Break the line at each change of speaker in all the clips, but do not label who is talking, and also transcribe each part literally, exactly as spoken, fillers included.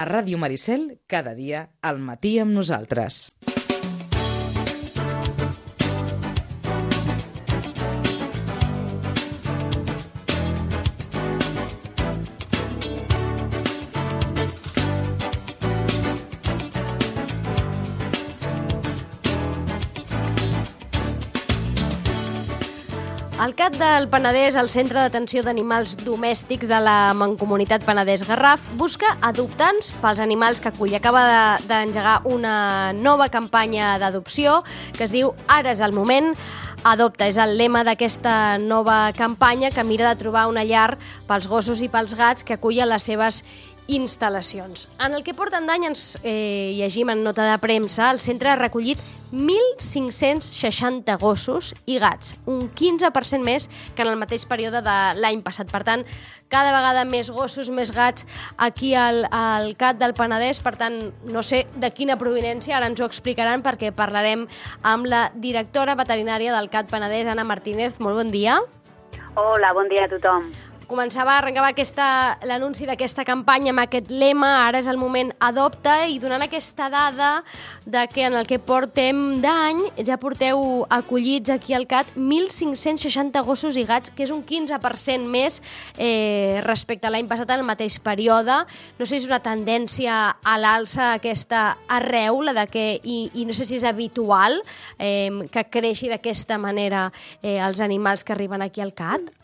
A Ràdio Maricel, cada dia, al matí amb nosaltres.
El C A T del Penedès, el Centre d'Atenció d'Animals Domèstics de la Mancomunitat Penedès Garraf, busca adoptants pels animals que acull. Acaba d'engegar una nova campanya d'adopció que es diu Ara és el moment. Adopta és el lema d'aquesta nova campanya que mira de trobar una llar pels gossos i pels gats que acullen les seves instal·lacions. En el que porten d'any ens eh, llegim en nota de premsa, el centre ha recollit mil cinc-cents seixanta gossos i gats, un quinze per cent més que en el mateix període de l'any passat. Per tant, cada vegada més gossos, més gats aquí al, al C A T del Penedès. Per tant, no sé de quina provinència, ara ens ho explicaran perquè parlarem amb la directora veterinària del C A T Penedès, Anna Martínez. Molt bon dia.
Hola, bon dia a tothom.
Començava, arrencava aquesta, l'anunci d'aquesta campanya amb aquest lema, ara és el moment, adopta, i donant aquesta dada de que en el que portem d'any ja porteu acollits aquí al C A T mil cinc-cents seixanta gossos i gats, que és un quinze per cent més eh, respecte a l'any passat en el mateix període. No sé si és una tendència a l'alça aquesta arreu, la de que, i, i no sé si és habitual eh, que creixi d'aquesta manera eh, els animals que arriben aquí al C A T.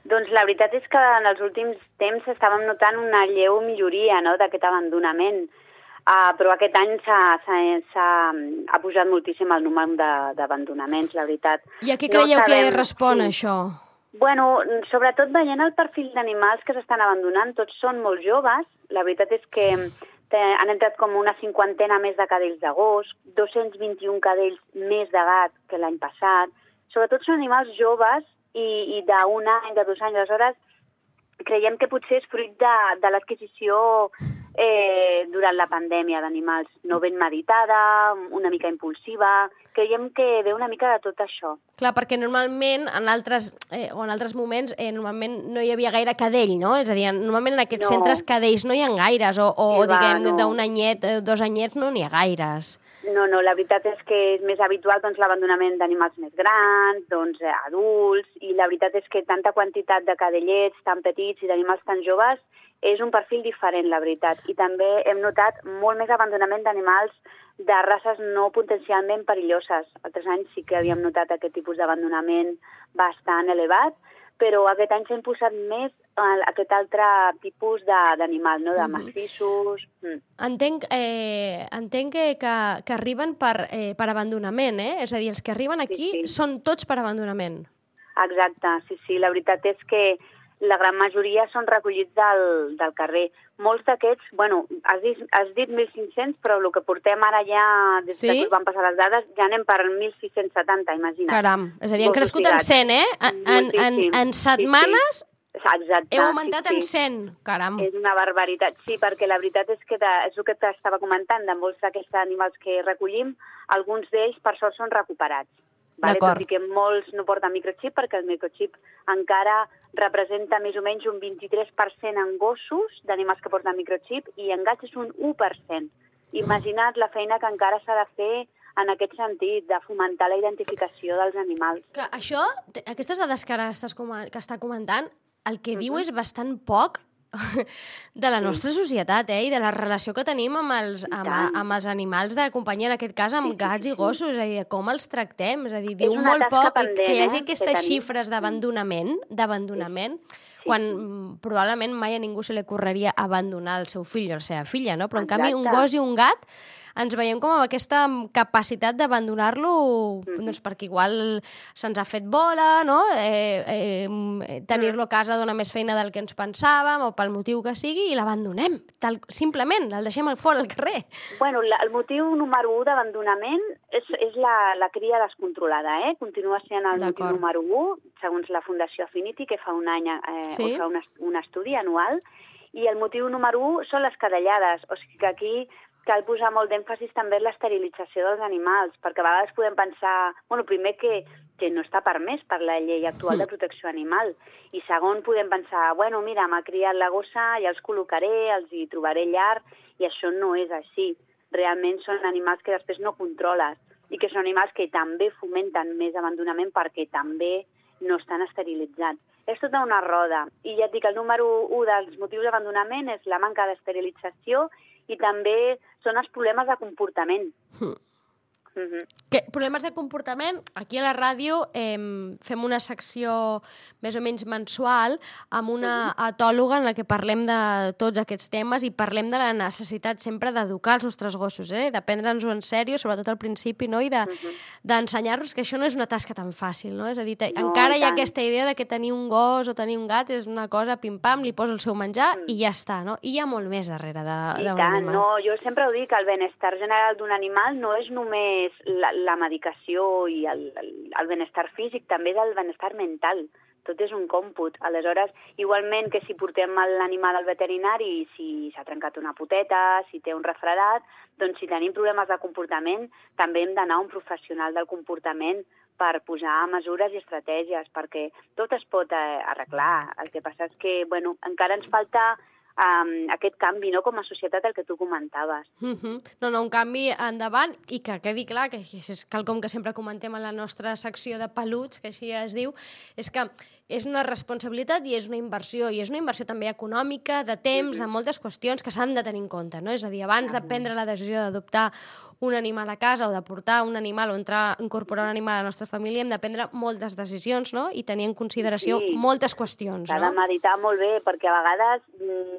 Doncs la veritat és que en els últims temps estàvem notant una lleu milloria, no?, d'aquest abandonament, uh, però aquest any s'ha pujat moltíssim el número d'abandonaments, la veritat.
I a què creieu no sabem... que respon sí. això?
Bueno, sobretot veient el perfil d'animals que s'estan abandonant, tots són molt joves. La veritat és que han entrat com una cinquantena més de cadells de gos, dos-cents vint-i-un cadells més de gat que l'any passat. Sobretot són animals joves i, i d'un any, de dos anys. Aleshores, creiem que potser és fruit de, de l'adquisició eh, durant la pandèmia d'animals no ben meditada, una mica impulsiva. Creiem que ve una mica de tot això.
Clar, perquè normalment, en altres, eh, o en altres moments, eh, normalment no hi havia gaire cadell, no? És a dir, normalment en aquests no. centres cadells no hi ha gaires, o, o va, diguem, no. d'un anyet, dos anyets no n'hi ha gaires.
No, no, la veritat és que és més habitual doncs, l'abandonament d'animals més grans, doncs, adults, i la veritat és que tanta quantitat de cadellets tan petits i d'animals tan joves és un perfil diferent, la veritat. I també hem notat molt més abandonament d'animals de races no potencialment perilloses. Altres anys sí que havíem notat aquest tipus d'abandonament bastant elevat, però aquest any s'ha imposat més aquest altre tipus d'animal, no? De massissos. Mm.
Entenc, eh, entenc que, que, que arriben per, eh, per abandonament, eh? És a dir, els que arriben aquí sí, sí. són tots per abandonament.
Exacte, sí, sí. La veritat és que la gran majoria són recollits del, del carrer. Molts d'aquests, bueno, has dit, has dit mil cinc-cents, però el que portem ara ja, des sí? que van passar les dades, ja anem per mil sis-cents setanta, imagina't.
Caram, és a dir, han crescut en cent, eh? En, en, en, en setmanes...
Sí, sí. Exacte,
heu augmentat
sí, sí.
en cent, caram.
És una barbaritat, sí, perquè la veritat és que de, és el que t'estava comentant, de molts d'aquests animals que recollim, alguns d'ells per sort són recuperats. Vale? Tot i que molts no porten microxip, perquè el microxip encara representa més o menys un vint-i-tres per cent en gossos d'animals que porten microxip i en gats és un u per cent. Imagina't la feina que encara s'ha de fer en aquest sentit, de fomentar la identificació dels animals.
Clar, això, aquestes dades que ara estàs, que està comentant, el que uh-huh. diu és bastant poc de la nostra societat, eh? I de la relació que tenim amb els, amb, amb els animals de companyia, en aquest cas amb gats i gossos, és a dir, com els tractem, és a dir, diu molt poc pendent, que hi hagi aquestes xifres d'abandonament, d'abandonament, sí. Sí. quan probablement mai a ningú se li ocorreria abandonar el seu fill o la seva filla, no? Però en Exacte. canvi un gos i un gat ens veiem com amb aquesta capacitat d'abandonar-lo, mm. doncs perquè igual se'ns ha fet bola, no? Eh, eh, tenir-lo a casa dona més feina del que ens pensàvem, o pel motiu que sigui, i l'abandonem, tal, simplement, el deixem al fora al carrer.
Bueno, la, el motiu número un d'abandonament és, és la, la cria descontrolada, eh? Continua sent el motiu número un, segons la Fundació Affinity, que fa un any eh, sí? o fa un, un estudi anual, i el motiu número un són les cadellades, o sigui que aquí cal posar molt d'èmfasis també en l'esterilització dels animals, perquè a vegades podem pensar, bueno, primer que, que no està permès per la llei actual de protecció animal, i segon podem pensar, bueno, mira, m'ha criat la gossa, ja els col·locaré, els hi trobaré llar, i això no és així. Realment són animals que després no controles, i que són animals que també fomenten més abandonament perquè també no estan esterilitzats. És tota una roda, i ja et dic, el número u dels motius d'abandonament és la manca d'esterilització i també són els problemes de comportament.
Mm. Mm-hmm. Que, problemes de comportament, aquí a la ràdio eh, fem una secció més o menys mensual amb una mm-hmm. etòloga en la que parlem de tots aquests temes i parlem de la necessitat sempre d'educar els nostres gossos, eh? De prendre'ns-ho en sèrio, sobretot al principi, no? I de, mm-hmm. d'ensenyar-los que això no és una tasca tan fàcil, no? És a dir, te, no, encara hi ha aquesta idea de que tenir un gos o tenir un gat és una cosa pim-pam, li poso el seu menjar mm. i ja està, no? I hi ha molt més darrere d'un animal.
No, jo sempre ho dic, el benestar general d'un animal no és només la, la medicació i el, el, el benestar físic, també és el benestar mental. Tot és un còmput. Aleshores, igualment que si portem l'animal al veterinari i si s'ha trencat una poteta, si té un refredat, doncs si tenim problemes de comportament, també hem d'anar a un professional del comportament per posar mesures i estratègies, perquè tot es pot arreglar. El que passa és que, bueno, encara ens falta Um, aquest canvi, no?, com a societat, el que tu comentaves.
Uh-huh. No, no, un canvi endavant i que quedi clar, que és quelcom que sempre comentem en la nostra secció de peluts, que així es diu, és que és una responsabilitat i és una inversió, i és una inversió també econòmica, de temps, uh-huh. de moltes qüestions que s'han de tenir en compte, no? És a dir, abans uh-huh. de prendre la decisió d'adoptar un animal a casa o de portar un animal o entrar, incorporar un animal a la nostra família, hem de prendre moltes decisions, no?, i tenir en consideració sí. moltes qüestions, no?
S'ha de meditar molt bé, perquè a vegades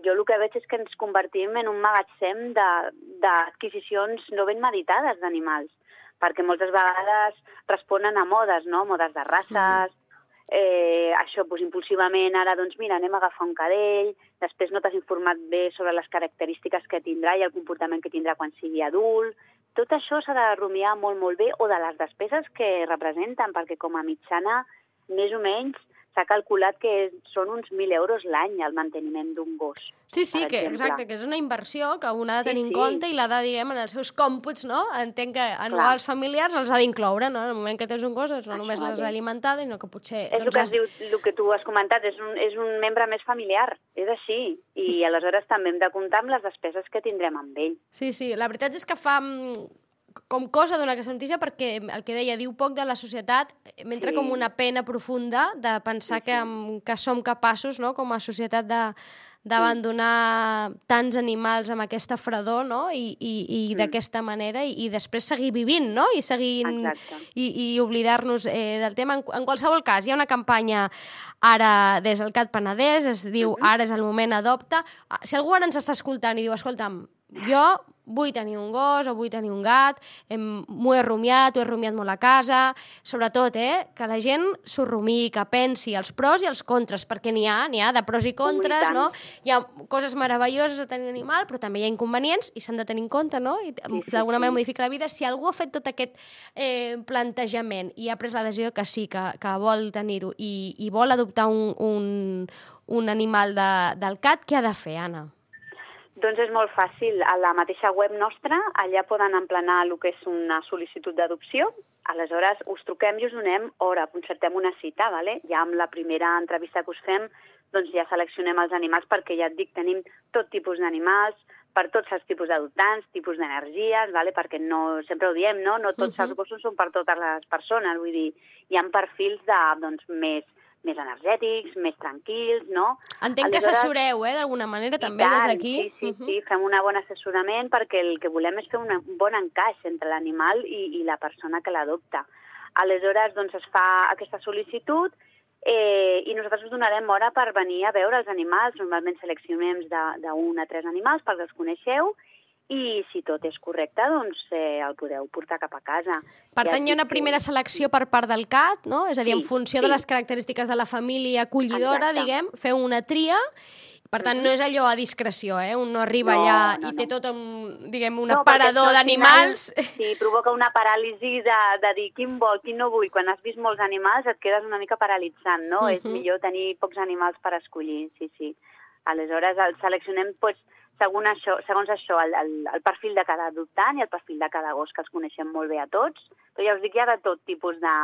jo el que veig és que ens convertim en un magatzem d'adquisicions no ben meditades d'animals, perquè moltes vegades responen a modes, no?, modes de races, mm. eh, això, doncs, impulsivament, ara, doncs, mira, anem a agafar un cadell, després no t'has informat bé sobre les característiques que tindrà i el comportament que tindrà quan sigui adult. Tot això s'ha de rumiar molt, molt bé, o de les despeses que representen, perquè com a mitjana, més o menys, s'ha calculat que són uns mil euros l'any el manteniment d'un gos.
Sí, sí, que, exacte, que és una inversió que un ha de tenir sí, sí. en compte i l'ha de, diguem, en els seus còmputs, no? Entenc que anuals Clar. familiars els ha d'incloure, no? En el moment que tens un gos, no només l'has d'alimentar, sinó que potser...
És doncs, el que has... diu, el que tu has comentat, és un, és un membre més familiar, és així, i aleshores també hem de comptar amb les despeses que tindrem amb ell.
Sí, sí, la veritat és que fa... com cosa donar aquesta notícia perquè el que deia, diu poc de la societat, m'entra sí. com una pena profunda de pensar sí, sí. Que, que som capaços, no?, com a societat de d'abandonar sí. tants animals amb aquesta fredor, no?, i, i, i mm. d'aquesta manera, i, i després seguir vivint, no?, i seguir i, i oblidar-nos eh, del tema. En, en qualsevol cas, hi ha una campanya ara des del Cat Penedès, es diu mm-hmm. Ara és el moment, adopta. Si algú ara ens està escoltant i diu, escolta'm, jo vull tenir un gos o vull tenir un gat, m'ho he rumiat, ho he rumiat molt a casa, sobretot, eh, que la gent s'ho rumiï, que pensi els pros i els contres, perquè n'hi ha, n'hi ha de pros i contres, no? Hi ha coses meravelloses de tenir un animal, però també hi ha inconvenients i s'han de tenir en compte, no? I d'alguna manera modifica la vida. Si algú ha fet tot aquest eh, plantejament i ha pres la decisió que sí, que, que vol tenir-ho i, i vol adoptar un, un, un animal de, del cat, què ha de fer, Anna?
Doncs és molt fàcil. A la mateixa web nostra, allà poden emplenar el que és una sol·licitud d'adopció. Aleshores, us truquem i us donem hora, concertem una cita, ¿vale? Ja amb la primera entrevista que us fem, doncs ja seleccionem els animals, perquè ja et dic, tenim tot tipus d'animals, per tots els tipus d'adoptants, tipus d'energies, ¿vale? Perquè no, sempre ho diem, no? No tots uh-huh. els gossos són per totes les persones, vull dir, hi ha perfils de, doncs, més... més energètics, més tranquils, no?
Entenc Aleshores, que assessoreu, eh, d'alguna manera, també, tant, des d'aquí.
Sí, sí, uh-huh. sí, fem un bon assessorament perquè el que volem és fer un bon encaix entre l'animal i, i la persona que l'adopta. Aleshores, doncs, es fa aquesta sol·licitud eh, i nosaltres us donarem hora per venir a veure els animals. Normalment seleccionem d'un a tres animals perquè els coneixeu, i si tot és correcte, doncs eh, el podeu portar cap a casa.
Per tant, hi ha una primera selecció per part del cat, no? És a dir, sí, en funció sí. de les característiques de la família acollidora, Exacte. diguem, feu una tria. Per tant, no és allò a discreció, eh? Un no arriba no, allà no, i té no. tot un, diguem, un no, aparador d'animals.
Sí, provoca una paràlisi de, de dir quin vol, quin no vull. Quan has vist molts animals et quedes una mica paralitzant, no? Uh-huh. És millor tenir pocs animals per escollir, sí, sí. Aleshores, el seleccionem, doncs, segons això, segons això el, el, el perfil de cada adoptant i el perfil de cada gos, que els coneixem molt bé a tots. Però ja us dic, hi ha de tot tipus de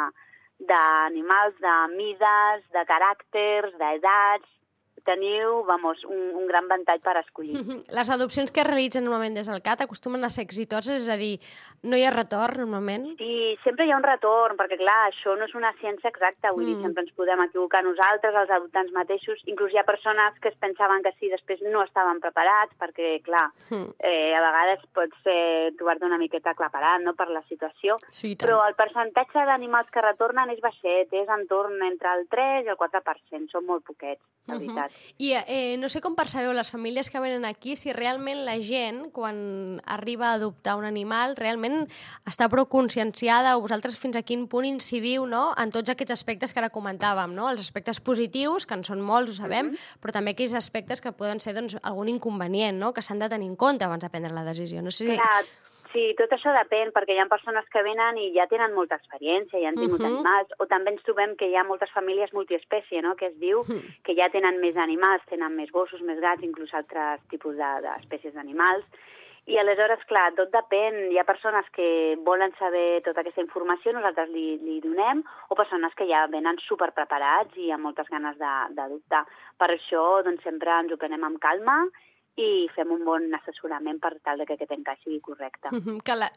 d'animals, de mides, de caràcters, d'edats. Teniu, vamos, un, un gran ventall per escollir.
Les adopcions que es realitzen normalment des del C A T acostumen a ser exitoses, és a dir, no hi ha retorn normalment?
Sí, sempre hi ha un retorn, perquè clar, això no és una ciència exacta, vull mm. dir, sempre ens podem equivocar nosaltres, els adoptants mateixos, inclús hi ha persones que es pensaven que sí, després no estaven preparats, perquè clar, mm. eh, a vegades pots eh, trobar-te una miqueta aclaparat, no?, per la situació,
sí,
però el percentatge d'animals que retornen és baixet, és entorn entre el tres i el quatre per cent, són molt poquets, la veritat.
Uh -huh. I eh, no sé com percebeu les famílies que venen aquí, si realment la gent, quan arriba a adoptar un animal, realment està prou conscienciada, o vosaltres fins a quin punt incidiu, no?, en tots aquests aspectes que ara comentàvem, no?, els aspectes positius, que en són molts, ho sabem, uh -huh. però també aquells aspectes que poden ser, doncs, algun inconvenient, no?, que s'han de tenir en compte abans de prendre la decisió. No sé si...
Clar. Sí, tot això depèn, perquè hi ha persones que venen i ja tenen molta experiència, ja han tingut uh-huh. animals, o també ens trobem que hi ha moltes famílies multiespècie, no?, que es diu uh-huh. que ja tenen més animals, tenen més gossos, més gats, inclús altres tipus d'espècies de, d'animals, i aleshores, clar, tot depèn. Hi ha persones que volen saber tota aquesta informació, nosaltres li, li donem, o persones que ja venen superpreparats i amb moltes ganes d'adoptar. Per això, doncs, sempre ens ho prenem amb calma i fem un bon assessorament per tal que aquest encaix sigui correcte.
Mm-hmm, que la,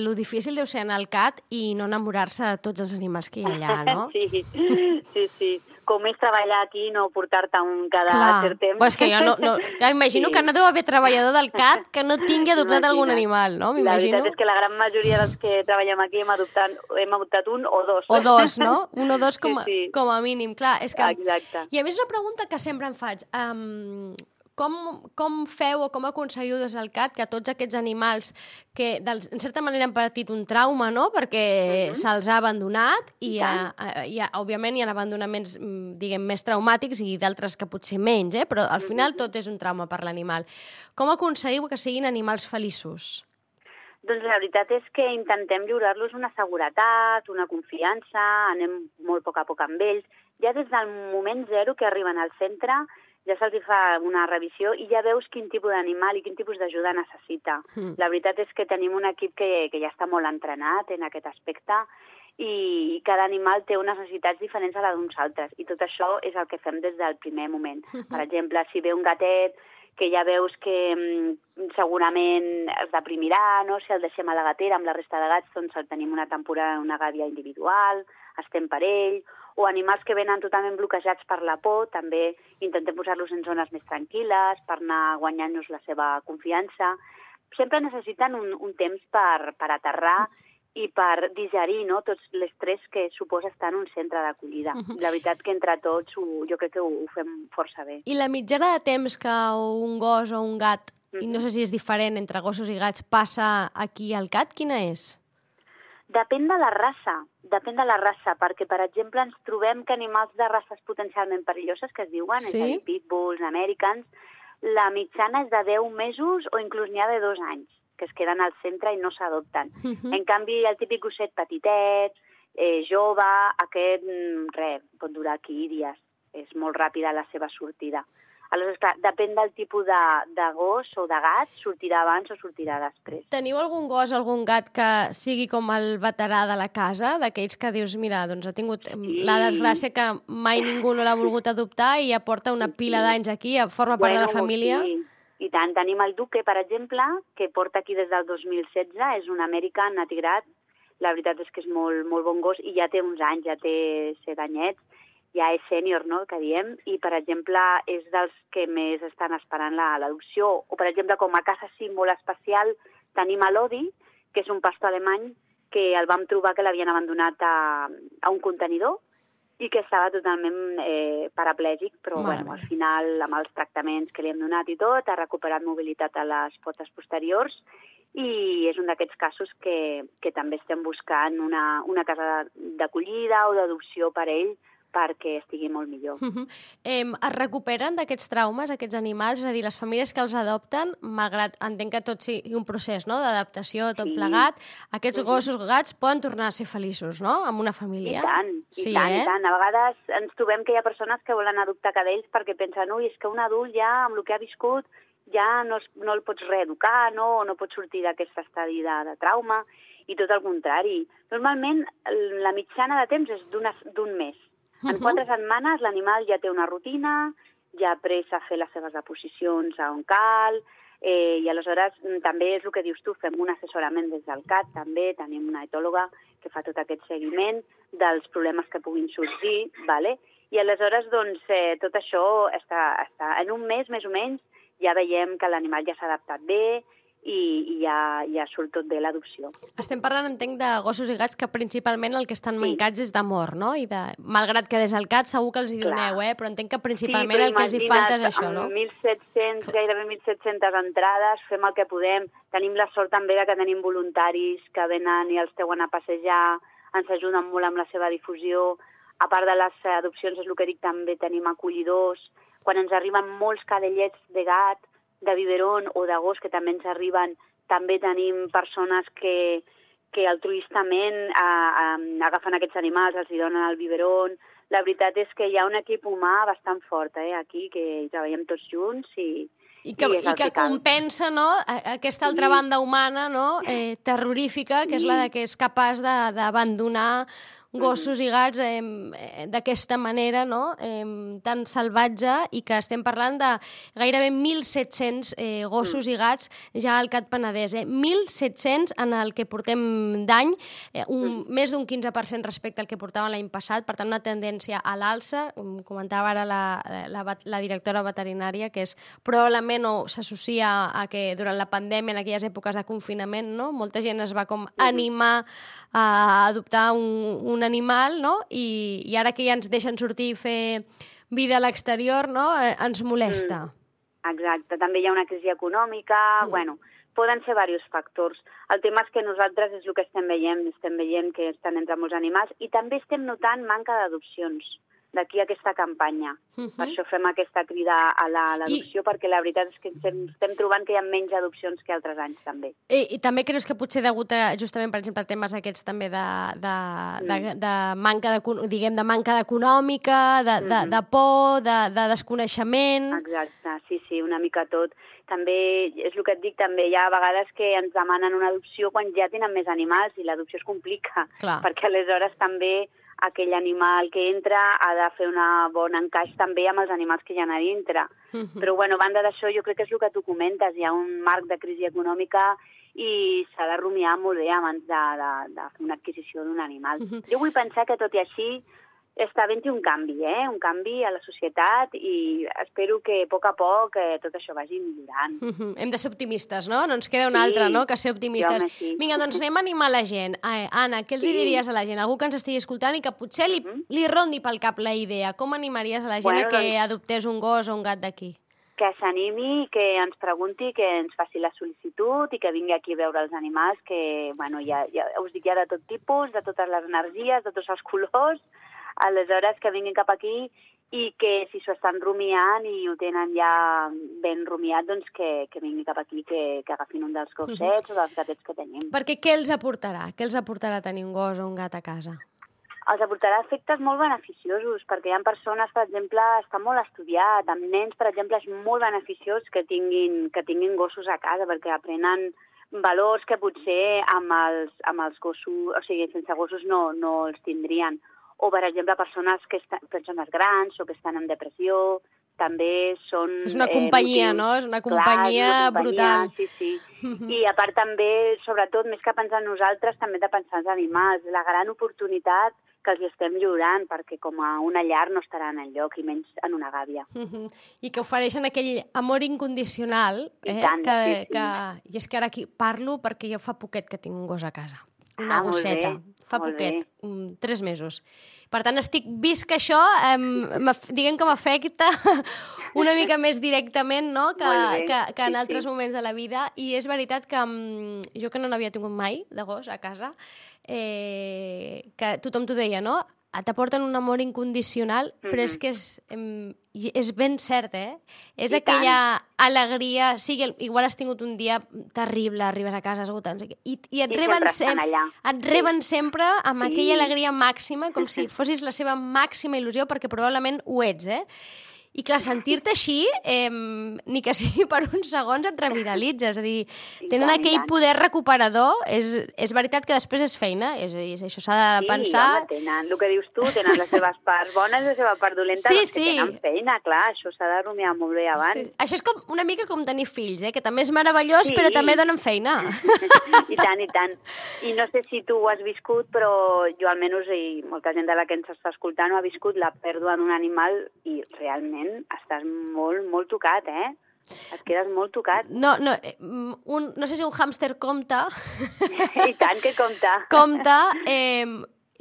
lo difícil deu ser anar al C A T i no enamorar-se de tots els animals que hi ha allà, no?
Sí, sí, sí. Com és treballar aquí, no portar-te un cada
Clar.
cert temps.
Pues que jo no, no, ja imagino sí. que no deu haver treballador del C A T que no tingui adoptat Imagina. algun animal, no?
La veritat és que la gran majoria dels que treballem aquí hem adoptat, hem adoptat un o dos.
O dos, no? Un o dos com,
sí, sí.
com a mínim. Clar, és que...
Exacte.
I a més una pregunta que sempre em faig. Um, Com, com feu o com aconseguiu des del C A T que tots aquests animals que, en certa manera, han patit un trauma, no?, perquè uh-huh. se'ls ha abandonat i, ha, hi ha, òbviament, hi ha abandonaments, diguem, més traumàtics i d'altres que potser menys, eh? Però al final uh-huh. tot és un trauma per l'animal. Com aconseguiu que siguin animals feliços?
Doncs la veritat és que intentem lliurar-los una seguretat, una confiança, anem molt a poc a poc amb ells. Ja des del moment zero que arriben al centre ja se'ls fa una revisió i ja veus quin tipus d'animal i quin tipus d'ajuda necessita. Mm. La veritat és que tenim un equip que, que ja està molt entrenat en aquest aspecte i cada animal té unes necessitats diferents a les d'uns altres i tot això és el que fem des del primer moment. Mm-hmm. Per exemple, si ve un gatet que ja veus que mm, segurament es deprimirà, no? Si el deixem a la gatera amb la resta de gats, doncs el tenim una temporada en una gàbia individual, estem per ell, o animals que venen totalment bloquejats per la por, també intentem posar-los en zones més tranquil·les per anar guanyant-nos la seva confiança. Sempre necessiten un, un temps per, per aterrar i per digerir, no?, tots l'estrès que suposa estar en un centre d'acollida. Uh-huh. La veritat que entre tots ho, jo crec que ho, ho fem força bé.
I la mitjana de temps que un gos o un gat, uh-huh. i no sé si és diferent entre gossos i gats, passa aquí al C A T, quina és?
Depèn de la raça, depèn de la raça, perquè, per exemple, ens trobem que animals de races potencialment perilloses, que es diuen, sí? És a dir, pitbulls, americans, la mitjana és de deu mesos o inclús n'hi ha de dos anys, que es queden al centre i no s'adopten. Uh-huh. En canvi, el típic gosset petitet, eh, jove, aquest, res, pot durar aquí dies. És molt ràpida la seva sortida. Aleshores, clar, depèn del tipus de, de gos o de gat, sortirà abans o sortirà després.
Teniu algun gos o algun gat que sigui com el veterà de la casa, d'aquells que dius, mira, doncs ha tingut sí. la desgràcia que mai ningú no l'ha volgut adoptar i ja porta una pila d'anys aquí, forma part bueno, de la família?
Sí. I tant, tenim el Duque, per exemple, que porta aquí des del dos mil setze, és un american atigrat, la veritat és que és molt, molt bon gos i ja té uns anys, ja té set anyets, ja és sènior, no?, que diem, i, per exemple, és dels que més estan esperant l'adopció. O, per exemple, com a casa sí molt especial, tenim a l'Odi, que és un pastor alemany, que el vam trobar que l'havien abandonat a, a un contenidor i que estava totalment eh, paraplègic, però bueno, al final, amb els tractaments que li hem donat i tot, ha recuperat mobilitat a les potes posteriors i és un d'aquests casos que, que també estem buscant una, una casa d'acollida o d'adopció per a ell, perquè estigui molt millor.
Uh-huh. eh, es recuperen d'aquests traumes, aquests animals? És a dir, les famílies que els adopten, malgrat entenc que tot sigui un procés, no?, d'adaptació, tot sí. plegat, aquests uh-huh. gossos gats poden tornar a ser feliços, no?, amb una família.
I tant,
sí,
i tant,
eh?
i tant. A vegades ens trobem que hi ha persones que volen adoptar cadells perquè pensen, ui, és que un adult ja, amb el que ha viscut, ja no, es, no el pots reeducar, no? O no pots sortir d'aquest estadi de, de trauma, i tot el contrari. Normalment, la mitjana de temps és d'un mes. En uh-huh. quatre setmanes l'animal ja té una rutina, ja ha après a fer les seves deposicions a on cal, eh, i aleshores també és el que dius tu, fem un assessorament des del C A T, també tenim una etòloga que fa tot aquest seguiment dels problemes que puguin sorgir, vale? I aleshores doncs, eh, tot això està, està en un mes més o menys, ja veiem que l'animal ja s'ha adaptat bé, i, i ja, ja surt tot bé l'adopció.
Estem parlant, entenc, de gossos i gats que principalment el que estan mancats sí. és d'amor, no? I de... Malgrat que des del C A T segur que els hi doneu, Clar. eh? Però entenc que principalment sí, el que els hi falta és això, no?
mil set-cents, gairebé mil set-centes entrades, fem el que podem. Tenim la sort també de que tenim voluntaris que venen i els treuen a passejar, ens ajuden molt amb la seva difusió. A part de les adopcions, és el que dic, també tenim acollidors. Quan ens arriben molts cadellets de gat, de biberon o de gos, que també ens arriben, també tenim persones que, que altruistament a, a, agafen aquests animals, els hi donen el biberon. La veritat és que hi ha un equip humà bastant fort eh, aquí, que hi treballem tots junts i,
I que, i i que compensa no, aquesta altra sí. banda humana no, eh, terrorífica, que és la de que és capaç d'abandonar gossos i gats eh, d'aquesta manera, no? eh, tan salvatge, i que estem parlant de gairebé mil set-cents eh, gossos mm. i gats ja al C A T Penedès. Eh? mil set-cents en el que portem d'any, eh, un, mm. més d'un quinze per cent respecte al que portàvem l'any passat, per tant una tendència a l'alça. Comentava ara la, la, la directora veterinària que és probablement o s'associa a que durant la pandèmia, en aquelles èpoques de confinament, no? molta gent es va com animar a adoptar un, un animal, no? I, i ara que ja ens deixen sortir i fer vida a l'exterior, no? Eh, ens molesta.
Mm, exacte, també hi ha una crisi econòmica, mm. bueno, poden ser diversos factors. El tema és que nosaltres és el que estem veient, estem veient que estan entre molts animals i també estem notant manca d'adopcions d'aquí a aquesta campanya. Uh-huh. Per això fem aquesta crida a l'adopció, I... perquè la veritat és que estem trobant que hi ha menys adopcions que altres anys, també.
I, i també creus que potser degut a, justament, per exemple, temes aquests també de, de, mm. de, de manca de, diguem, de manca econòmica, de, de, mm-hmm. de por, de, de desconeixement...
Exacte, sí, sí, una mica tot. També, és el que et dic, també hi ha vegades que ens demanen una adopció quan ja tenen més animals i l'adopció es complica, Clar. perquè aleshores també aquell animal que entra ha de fer un bon encaix també amb els animals que hi ha a dintre. Uh-huh. Però, bueno, a banda d'això, jo crec que és el que tu comentes, hi ha un marc de crisi econòmica i s'ha de rumiar molt bé abans de, de, de fer una adquisició d'un animal. Uh-huh. Jo vull pensar que, tot i així, està havent-hi un canvi, eh? un canvi a la societat i espero que a poc a poc eh, tot això vagi millorant.
Uh-huh. Hem de ser optimistes, no? No ens queda una sí, altra, no?, que ser optimistes.
Home, sí.
Vinga, doncs anem a animar la gent. Ai, Anna, què els sí. diries a la gent? Algú que ens estigui escoltant i que potser li, uh-huh. li rondi pel cap la idea. Com animaries a la gent bueno, a que doncs... adoptés un gos o un gat d'aquí?
Que s'animi, que ens pregunti, que ens faci la sol·licitud i que vingui aquí a veure els animals, que, bueno, ja, ja us dic, ja de tot tipus, de totes les energies, de tots els colors. Aleshores, que vinguin cap aquí i que si s'ho estan rumiant i ho tenen ja ben rumiat, doncs que, que vinguin cap aquí, que, que agafin un dels gossets uh-huh. o dels gatets que tenim.
Perquè què els aportarà? Què els aportarà tenir un gos o un gat a casa?
Els aportarà efectes molt beneficiosos, perquè hi ha persones, per exemple, està molt estudiat, amb nens, per exemple, és molt beneficiós que tinguin, que tinguin gossos a casa, perquè aprenen valors que potser amb els, amb els gossos, o sigui, sense gossos no, no els tindrien. O, per exemple, persones que estan, persones grans o que estan en depressió, també són...
És una companyia, eh, no? És una companyia, Clar, una companyia brutal.
Sí, sí. Uh-huh. I a part també, sobretot, més que pensar en nosaltres, també de pensar en els animals. La gran oportunitat que els estem lliurant, perquè com a una llar no estaran enlloc, i menys en una gàbia.
Uh-huh. I que ofereixen aquell amor incondicional. Eh?
I tant,
que,
sí, sí.
Que... I és que ara aquí parlo perquè jo fa poquet que tinc un gos a casa. Una
ah,
gosseta. Fa poquet, um, tres mesos. Per tant, estic vist que això, um, diguem que m'afecta una mica més directament, no?, que, que, que en altres sí, sí. moments de la vida. I és veritat que um, jo que no n'havia tingut mai de gos a casa, eh, que tothom t'ho deia, no?, t'aporten un amor incondicional, mm-hmm. però és que és, és ben cert, eh? És I aquella tant. alegria... Sí, igual has tingut un dia terrible, arribes a casa esgotant, i, i et,
I
reben
sempre
sem et reben sí. sempre amb
sí.
aquella alegria màxima, com si fossis la seva màxima il·lusió, perquè probablement ho ets, eh? I clar, sentir-te així, eh, ni que sigui per uns segons et revitalitza, és a dir, tenen
tant,
aquell poder recuperador, és, és veritat que després és feina, és a dir, això s'ha de
sí,
pensar...
Sí, home, tenen, el que dius tu, tenen les seves parts bones i la seva part dolenta,
sí,
doncs que
sí.
tenen feina, clar, això s'ha de rumiar molt bé abans.
Sí. Això és com, una mica com tenir fills, eh? Que també és meravellós,
sí.
però també donen feina.
I tant, i tant. I no sé si tu ho has viscut, però jo almenys, i molta gent de la que ens està escoltant, ho ha viscut la pèrdua d'un animal i realment estàs molt, molt tocat, eh? Et quedes molt tocat.
No, no, un, no sé si un hàmster compta.
I tant que compta.
Compta. Eh,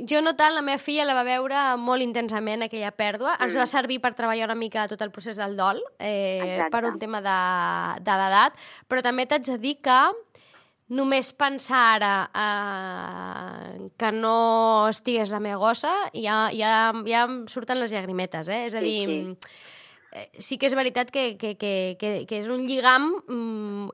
jo no tant, la meva filla la va veure molt intensament, aquella pèrdua. Ens mm. va servir per treballar una mica tot el procés del dol, eh, per un tema de, de l'edat, però també t'haig de dir que només pensar ara eh, que no estigués la meva gossa, ja, ja, ja em surten les llagrimetes, eh? És a dir, sí, sí. sí que és veritat que, que, que, que, que és un lligam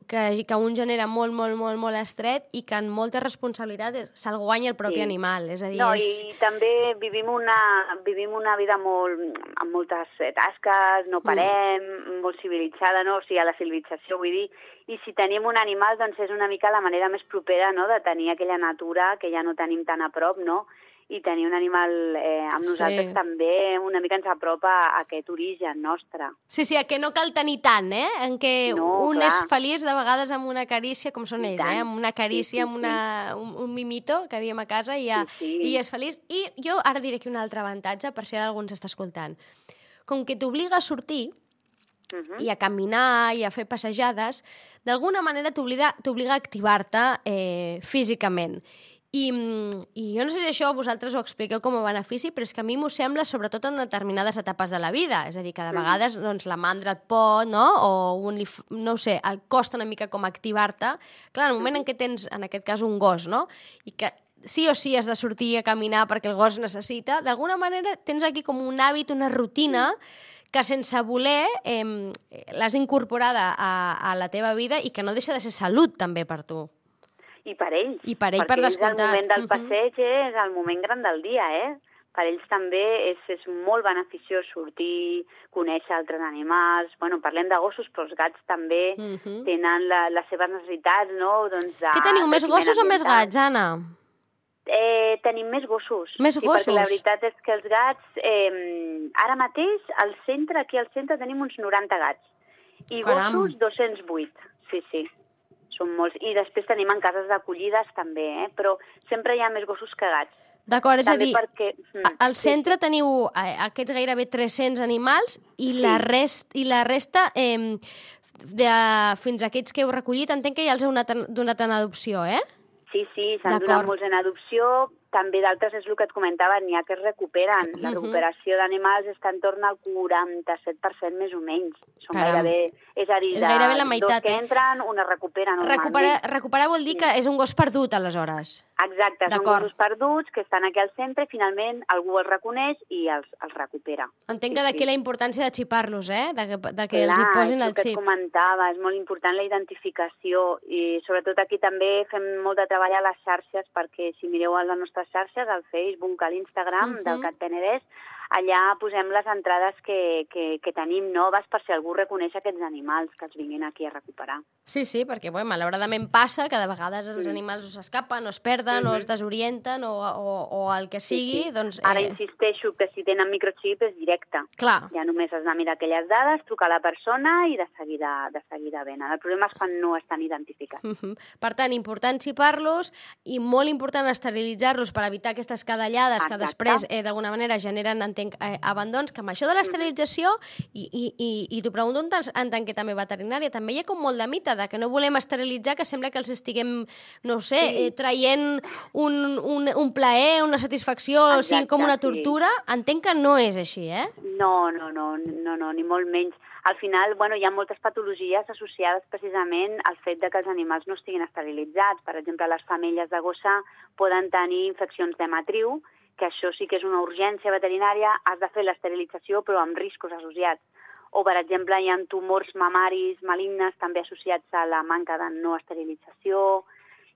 que, que un genera molt, molt, molt, molt estret i que en molta responsabilitat se'l guanya el propi sí. animal. És a dir,
no,
és...
i també vivim una, vivim una vida molt, amb moltes tasques, no parem, mm. molt civilitzada, no? O sigui, a la civilització, vull dir, i si tenim un animal, doncs és una mica la manera més propera, no?, de tenir aquella natura que ja no tenim tan a prop, no?, i tenir un animal eh, amb nosaltres sí. també una mica ens apropa a aquest origen nostre.
Sí, sí, que no cal tenir tant, eh? En què
no,
un
clar.
és feliç de vegades amb una carícia, com són
I
ells,
tant.
eh? Amb una carícia,
sí, sí,
amb una, un, un mimito, que diem a casa, i, ja,
sí, sí.
i és feliç. I jo ara diré aquí un altre avantatge, per si ara algú ens està escoltant. Com que t'obliga a sortir, Uh -huh. i a caminar i a fer passejades, d'alguna manera t'obliga a activar-te eh, físicament. I, I jo no sé si això vosaltres ho expliqueu com a benefici, però és que a mi m'ho sembla sobretot en determinades etapes de la vida. És a dir, que de vegades doncs, la mandra et pot, no? O un, no ho sé, costa una mica com activar-te. Clar, en el moment en què tens, en aquest cas, un gos, no? I que sí o sí has de sortir a caminar perquè el gos necessita, d'alguna manera tens aquí com un hàbit, una rutina que sense voler eh, l'has incorporada a, a la teva vida i que no deixa de ser salut també per tu.
I per ells.
I per ell, per descomptat.
Perquè el moment del passeig és el moment gran del dia, eh? Per ells també és, és molt beneficiós sortir, conèixer altres animals. Bueno, parlem de gossos, però els gats també uh -huh. tenen la, les seves necessitats, no? Doncs de,
Què teniu, més gossos o més gats, Anna?
Eh, tenim més gossos.
Més
sí,
gossos?
Perquè la veritat és que els gats... Eh, ara mateix, al centre, aquí al centre, tenim uns noranta gats. I Caram. Gossos, dos-cents vuit. Sí, sí. Són molts. I després tenim en cases d'acollides també, eh? Però sempre hi ha més gossos que gats.
D'acord, és
també
a dir,
perquè...
al centre sí, sí. teniu aquests gairebé tres-cents animals i, sí. la, rest, i la resta, eh, de, fins a aquests que heu recollit, entenc que ja els heu donat en adopció, eh?
Sí, sí, s'han donat molts en adopció. També d'altres és el que et comentava, n'hi ha que es recuperen. La recuperació d'animals està en torn al quaranta-set per cent més o menys. Són
Caram.
gairebé... És a dir,
és gairebé la meitat,
dos que entren, un es recupera normalment.
Recuperar, recuperar vol dir que és un gos perdut, aleshores.
Exacte, són gossos perduts que estan aquí al centre i finalment algú els reconeix i els, els recupera.
Entenc que d'aquí sí. la importància de xipar-los, eh? De que, de que
Clar,
els hi posin el
xip. Clar, és el que
xip.
et comentava, és molt important la identificació i sobretot aquí també fem molt de treball a les xarxes perquè si mireu a les nostres xarxes, al Facebook, a l'Instagram uh -huh. del Cat Penedès, allà posem les entrades que, que, que tenim noves per si algú reconeix aquests animals que els vinguin aquí a recuperar.
Sí, sí, perquè bueno, malauradament passa que de vegades els animals s'escapen, o es perden, uh -huh. o es desorienten, o, o, o el que sigui. Sí, sí. Doncs, eh...
Ara insisteixo que si tenen microxip és directe.
Clar.
Ja només has de mirar aquelles dades, trucar a la persona i de seguida, de seguida venen. El problema és quan no estan identificats.
Uh -huh. Per tant, important xipar-los i molt important esterilitzar-los per evitar aquestes cadellades Exacte. que després eh, d'alguna manera generen entenc, eh, abandons, que amb això de l'esterilització, i, i, i, i t'ho pregunto en tant que també veterinària, també hi ha com molt de mite de que no volem esterilitzar, que sembla que els estiguem, no sé, sí. eh, traient un, un, un plaer, una satisfacció, Exacte, o sigui, com una tortura. Sí. Entenc que no és així, eh?
No, no, no, no, no, ni molt menys. Al final, bueno, hi ha moltes patologies associades precisament al fet de que els animals no estiguin esterilitzats. Per exemple, les femelles de gossa poden tenir infeccions de matriu, que això sí que és una urgència veterinària, has de fer l'esterilització però amb riscos associats. O, per exemple, hi ha tumors mamaris malignes també associats a la manca de no esterilització.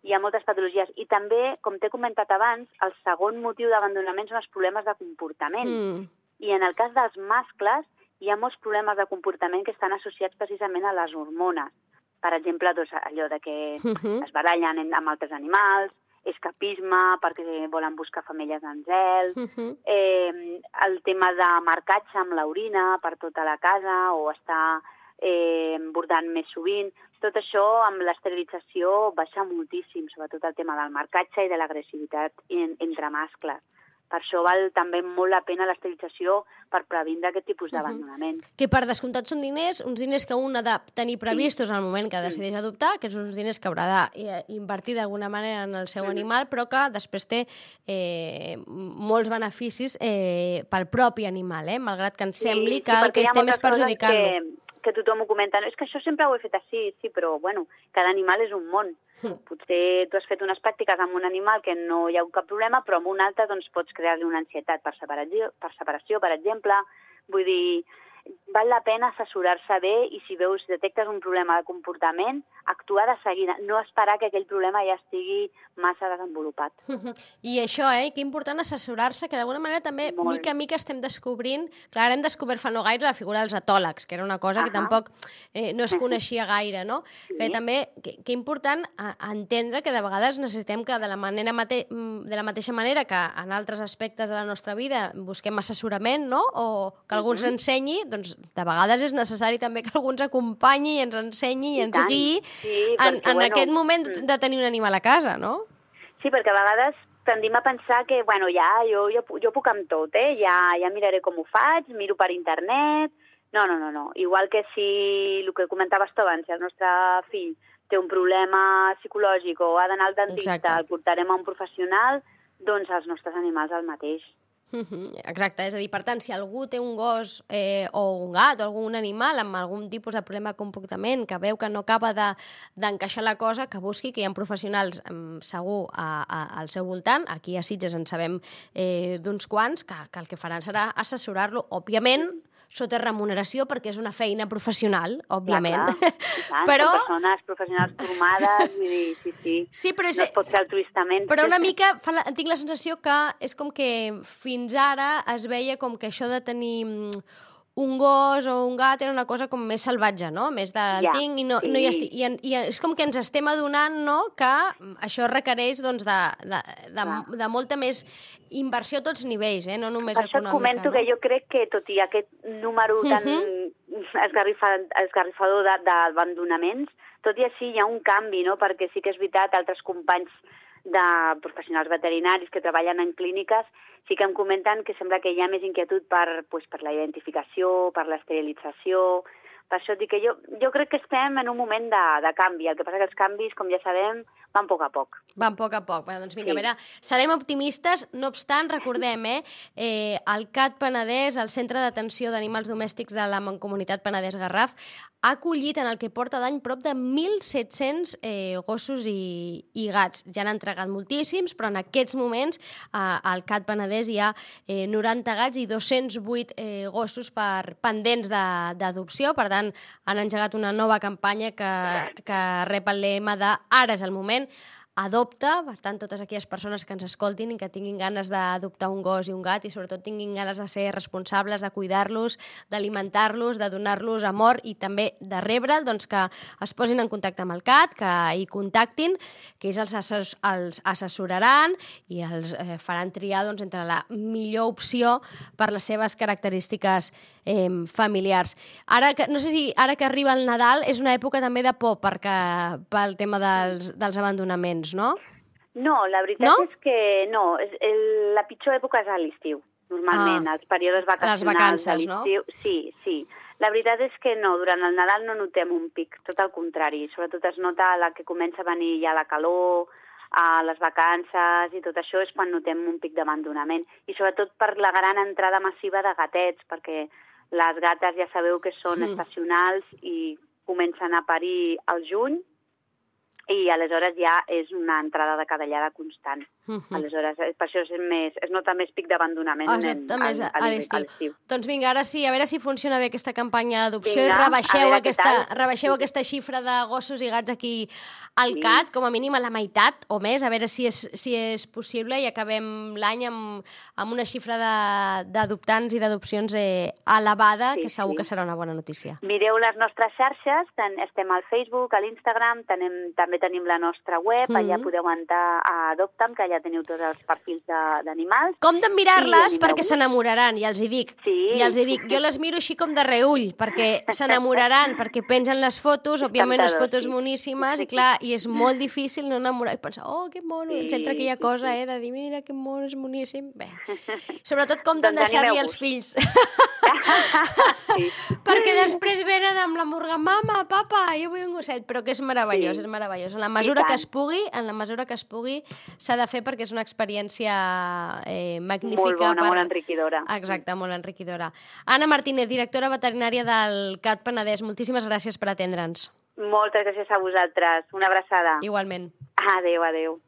Hi ha moltes patologies. I també, com t'he comentat abans, el segon motiu d'abandonament són els problemes de comportament. Mm. I en el cas dels mascles, hi ha molts problemes de comportament que estan associats precisament a les hormones. Per exemple, doncs, allò de que
Uh-huh.
es barallen amb altres animals, escapisme perquè volen buscar femelles en zel,
Uh-huh.
eh, el tema de marcatge amb l'orina per tota la casa o estar eh, bordant més sovint. Tot això amb l'esterilització baixa moltíssim, sobretot el tema del marcatge i de l'agressivitat en, entre mascles. Per això val també molt la pena l'esterilització per previndre aquest tipus d'abandonament.
Uh-huh. Que per descomptat són diners, uns diners que un ha de tenir previstos en el moment que decideix adoptar, que són uns diners que haurà d'invertir d'alguna manera en el seu
Mm.
animal, però que després té eh, molts beneficis eh, pel propi animal, eh? Malgrat que ens sembli que el que estem és perjudicant-lo.
Que, que tothom ho comenta, no, és que això sempre ho he fet així, sí, però bueno, cada animal és un món.
Mm.
Potser tu has fet unes pràctiques amb un animal que no hi ha cap problema, però amb un altre doncs, pots crear-li una ansietat per separació, per separació, per exemple. Vull dir, val la pena assessorar-se bé i si veus, detectes un problema de comportament, actuar de seguida, no esperar que aquell problema ja estigui massa desenvolupat.
I això, eh? Que important assessorar-se, que d'alguna manera també,
Molt.
mica a mica estem descobrint, clar, hem descobert fa no gaire la figura dels etòlegs, que era una cosa que
Ahà.
tampoc eh, no es coneixia gaire, no?
Sí.
Que també, que, que important a, a entendre que de vegades necessitem que de la, manera mate, de la mateixa manera que en altres aspectes de la nostra vida busquem assessorament, no? O que algú ens
Mhm.
ensenyi, doncs de vegades és necessari també que algú ens acompanyi i ens ensenyi i,
I
ens
tant.
guiï
Sí,
en,
perquè,
en
bueno,
aquest moment
mm.
de tenir un animal a casa, no?
Sí, perquè a vegades tendim a pensar que, bueno, ja, jo, jo, jo puc amb tot, eh? Ja, ja miraré com ho faig, miro per internet... No, no, no, no. Igual que si, el que comentaves tu abans, si el nostre fill té un problema psicològic o ha d'anar al dentista,
Exacte.
el portarem a un professional, doncs els nostres animals el mateix.
Mhm, exacte, és a dir, per tant, si algú té un gos eh, o un gat o algun animal amb algun tipus de problema de comportament que veu que no acaba de- d'encaixar la cosa, que busqui, que hi ha professionals em, segur a, a, al seu voltant, aquí a Sitges en sabem eh, d'uns quants, que, que el que faran serà assessorar-lo, òbviament, sota remuneració, perquè és una feina professional, òbviament.
Clar, clar. I tant,
Però-
són persones professionals formades, vull dir, sí, sí.
Sí, però és,
No es pot fer altruistament.
Però una mica fa la, tinc la sensació que és com que fins ara es veia com que això de tenir mm, un gos o un gat era una cosa com més salvatge, no? Més de
Ja,
tinc i no,
sí.
no hi estic. I, en- I és com que ens estem adonant, no?, que això requereix doncs, de, de, de,
Clar.
de molta més inversió a tots nivells, eh? No només
Per això et
econòmica.
comento
no?
que jo crec que, tot i aquest número tan esgarrifa- esgarrifador de- d'abandonaments, tot i així hi ha un canvi, no? Perquè sí que és veritat, altres companys de professionals veterinaris que treballen en clíniques sí que em comenten que sembla que hi ha més inquietud per, pues, per la identificació, per l'esterilització. Per això et dic que jo, jo crec que estem en un moment de, de canvi. El que passa que els canvis, com ja sabem, van a poc a poc.
Van a poc a poc. Bé, doncs vinga,
Sí.
a veure, serem optimistes. No obstant, recordem, eh, eh, el C A T Penedès, el Centre d'Atenció d'Animals Domèstics de la Mancomunitat Penedès-Garraf, ha acollit en el que porta d'any prop de mil set-cents eh, gossos i, i gats. Ja n'han entregat moltíssims, però en aquests moments eh, al C A T Penedès hi ha eh, noranta gats i dos-cents vuit eh, gossos per pendents de- d'adopció. Per tant, han engegat una nova campanya que, que rep el lema de "Ara és el moment", adopta, per tant, totes aquelles persones que ens escoltin i que tinguin ganes d'adoptar un gos i un gat i sobretot tinguin ganes de ser responsables, de cuidar-los, d'alimentar-los, de donar-los amor i també de rebre'l, doncs que es posin en contacte amb el C A T, que hi contactin, que ells els, assess els assessoraran i els eh, faran triar doncs, entre la millor opció per les seves característiques eh, familiars. Ara que, no sé si ara que arriba el Nadal és una època també de por perquè, pel tema dels, dels abandonaments, no?
No, la veritat
No?
és que no. És, el, la pitjor època és a l'estiu, normalment,
Ah,
els períodes vacacionals
vacances,
de
no?
l'estiu. Sí, sí. La veritat és que no, durant el Nadal no notem un pic, tot el contrari. Sobretot es nota la que comença a venir ja la calor, a les vacances i tot això és quan notem un pic d'abandonament. I sobretot per la gran entrada massiva de gatets, perquè les gates ja sabeu que són
Mm.
estacionals i comencen a parir al juny, i aleshores ja és una entrada de cadellada constant. Uh-huh. Aleshores, per això és, més, es nota més pic d'abandonament
ah,
en,
a,
a, a l'estiu.
Doncs vinga, ara sí, a veure si funciona bé aquesta campanya d'adopció i rebaixeu, aquesta, rebaixeu sí. aquesta xifra de gossos i gats aquí al sí. C A T, com a mínim a la meitat o més, a veure si és, si és possible i acabem l'any amb, amb una xifra d'adoptants i d'adopcions eh, elevada, sí, que segur sí. que serà una bona notícia.
Mireu les nostres xarxes, ten, estem al Facebook, a l'Instagram, també tenim la nostra web, mm-hmm. allà podeu entrar a Adopta'm, que allà ja teniu tots els perfils d'animals.
Com de mirar-les perquè s'enamoraran, ja els hi dic.
Sí.
Ja els hi dic. Jo les miro així com de reull, perquè s'enamoraran, perquè pengen les fotos, òbviament les fotos sí. moníssimes, i clar, i és molt difícil no enamorar, i pensar, oh, que mono, sí, ens entra aquella sí, cosa, sí. eh, de dir, mira, que mono, és moníssim. Bé, sobretot com de doncs deixar-li els fills. Sí. Perquè després venen amb la murga, mama, papa, jo vull un gosset, però que és meravellós, sí. és meravellós. En la mesura que es pugui, en la mesura que es pugui, s'ha de fer perquè és una experiència eh, magnífica.
Molt bona,
per...
molt enriquidora.
Exacte, molt enriquidora. Anna Martínez, directora veterinària del C A T Penedès, moltíssimes gràcies per atendre'ns.
Moltes gràcies a vosaltres. Una abraçada.
Igualment.
Adéu, adéu.